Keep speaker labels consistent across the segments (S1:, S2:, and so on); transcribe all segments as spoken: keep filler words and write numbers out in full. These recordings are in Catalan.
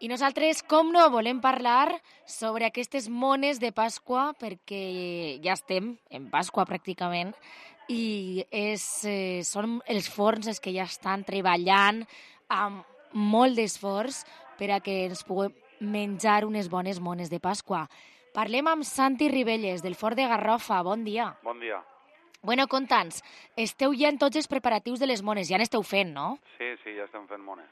S1: I nosaltres, com no, volem parlar sobre aquestes mones de Pasqua, perquè ja estem en Pasqua pràcticament, i és, eh, són els forns els que ja estan treballant amb molt d'esforç per a que ens puguem menjar unes bones mones de Pasqua. Parlem amb Santi Ribelles, del Fort de Garrofa. Bon dia.
S2: Bon dia.
S1: Bueno, conta'ns, esteu ja en tots els preparatius de les mones, ja n'esteu fent, no?
S2: Sí, sí, ja estem fent mones.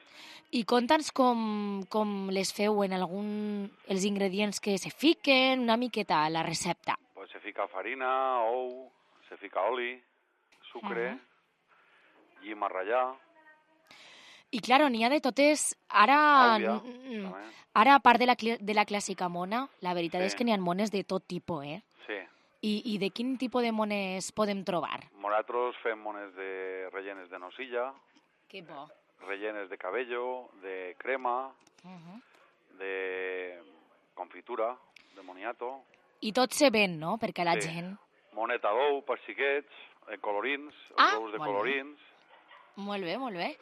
S1: I conta'ns com, com les feu en algun... els ingredients que se fiquen, una miqueta a la recepta.
S2: Pues se fica farina, ou, se fica oli, sucre, uh-huh. llima a ratllar...
S1: I, claro, n'hi ha de totes... Ara,
S2: Àvia,
S1: ara a part de la, de la clàssica mona, la veritat
S2: sí.
S1: és que n'hi ha mones de tot tipus, eh?
S2: Sí.
S1: I, I de quin tipus de mones podem trobar?
S2: Nosaltres fem mones de rellenes de nocilla,
S1: que bo.
S2: rellenes de cabello, de crema,
S1: uh-huh.
S2: de confitura, de moniato...
S1: I tot se ven, no?, perquè la
S2: sí.
S1: gent...
S2: Moneta d'ou per xiquets, de colorins,
S1: ah,
S2: els ous de colorins...
S1: Bé. Molt bé, molt bé.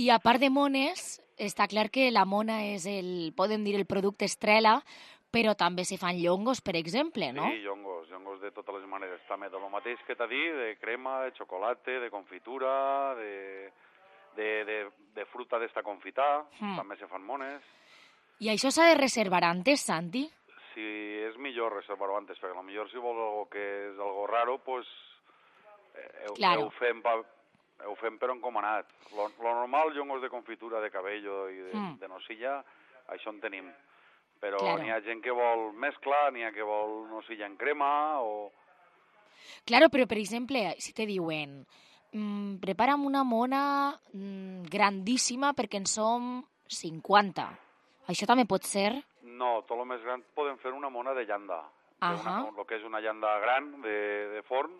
S1: I a part de mones, està clar que la mona és el, podem dir, el producte estrella, però també se fan llongos, per exemple, no?
S2: Sí, llongos, llongos de totes les maneres. També de lo mateix que t'ha dit, de crema, de xocolata, de confitura, de, de, de, de fruta d'esta confitar, mm. també se fan mones.
S1: I això s'ha de reservar antes, Santi?
S2: Sí, és millor reservar-ho antes, perquè potser si vols algo que és algo raro, pues eh,
S1: claro.
S2: ho fem pa... ho fem però encomanat. Lo, lo normal, llongos de confitura, de cabello i de, mm. de nocilla, això en tenim. Però claro. N'hi ha gent que vol mescla, n'hi ha que vol nocilla en crema o...
S1: Claro, però per exemple, si te diuen mmm, prepara'm una mona mmm, grandíssima perquè en som cinquanta. Això també pot ser?
S2: No, tot el més gran podem fer una mona de llanda.
S1: Uh
S2: -huh. El que és una llanda gran de, de forn,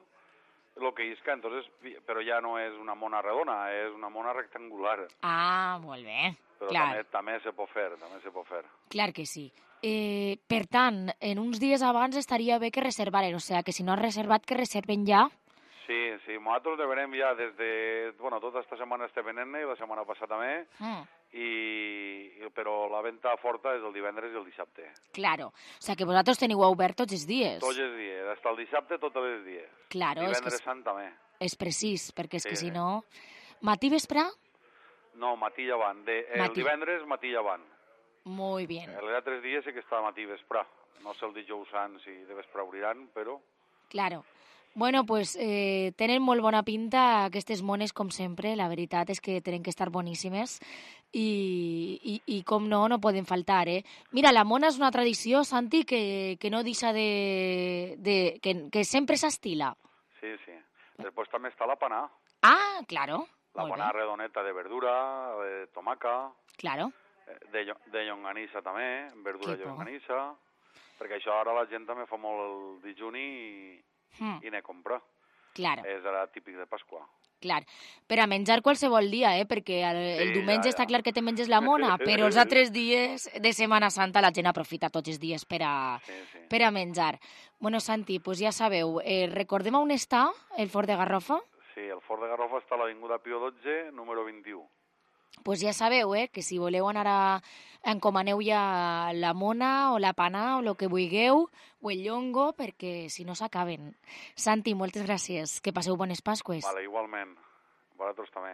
S2: lo que isca, entonces, però ja no és una mona redona, és una mona rectangular.
S1: Ah, molt bé.
S2: Però
S1: clar.
S2: també, també se pot fer, també se pot fer.
S1: Clar que sí. Eh, per tant, en uns dies abans estaria bé que reservaren, o sigui, que si no has reservat, que reserven ja.
S2: Sí, sí, nosaltres de venem ja des de... Bueno, tota aquesta setmana estem venent i la setmana passada també, mm. i, però la venda forta és el divendres i el dissabte.
S1: Claro, o sigui que vosaltres teniu obert tots els dies.
S2: Tots els dies, fins al dissabte tots els dies.
S1: Claro,
S2: divendres
S1: és que
S2: sant també.
S1: És precís, perquè és
S2: sí,
S1: que si
S2: sí.
S1: no... Matí vespre?
S2: No, matí llevant. De, el
S1: matí.
S2: divendres matí llevant.
S1: Muy bien.
S2: Els altres dies sí que està matí vespre. No sé el dijous sant si de vespre obriran, però...
S1: Claro. Bueno, pues eh, tenen molt bona pinta aquestes mones, com sempre. La veritat és que tenen que estar boníssimes i, i, i com no, no poden faltar, eh? Mira, la mona és una tradició, Santi, que, que no deixa de... de que, que sempre s'estila.
S2: Sí, sí. Després també està la panà.
S1: Ah, claro.
S2: La panà redoneta de verdura, de tomaca...
S1: Claro.
S2: De, de llonganissa també, verdura de llonganissa, perquè això ara la gent també fa molt el dijuni i, mm. i ne compra.
S1: Claro.
S2: És ara típic de Pasqua.
S1: Clar, per a menjar qualsevol dia, eh? Perquè el, sí, el diumenge ja, ja. està clar que te menges la mona, però els altres dies de Setmana Santa la gent aprofita tots els dies per a, sí, sí. per a menjar. Bueno, Santi, pues ja sabeu, eh, recordem on està el Fort de Garrofa?
S2: Sí, el Fort de Garrofa està a l'Avinguda Pío dotze, número vint-i-u.
S1: Pues ja sabeu, eh, que si voleu anar a... encomaneu ja la mona o la panà o el que vulgueu, o el llongo, perquè si no s'acaben. Santi, moltes gràcies. Que passeu bones Pasqües.
S2: Vale, igualment. Vosaltres també.